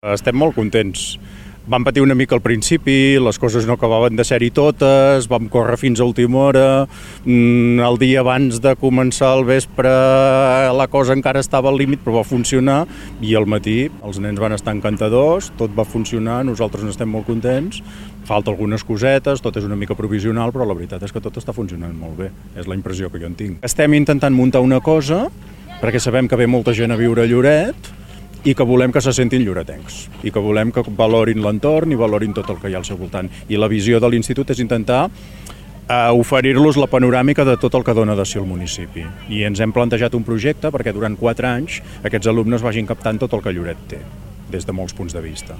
Estem molt contents. Vam patir una mica al principi, les coses no acabaven de ser-hi totes, vam córrer fins a última hora, el dia abans de començar el vespre la cosa encara estava al límit, però va funcionar, i al matí els nens van estar encantadors, tot va funcionar, nosaltres n'estem molt contents, falta algunes cosetes, tot és una mica provisional, però la veritat és que tot està funcionant molt bé, és la impressió que jo en tinc. Estem intentant muntar una cosa, perquè sabem que ve molta gent a viure a Lloret, i que volem que se sentin lloretencs, i que volem que valorin l'entorn i valorin tot el que hi ha al seu voltant. I la visió de l'institut és intentar oferir-los la panoràmica de tot el que dona de si el municipi. I ens hem plantejat un projecte perquè durant 4 anys aquests alumnes vagin captant tot el que Lloret té, des de molts punts de vista.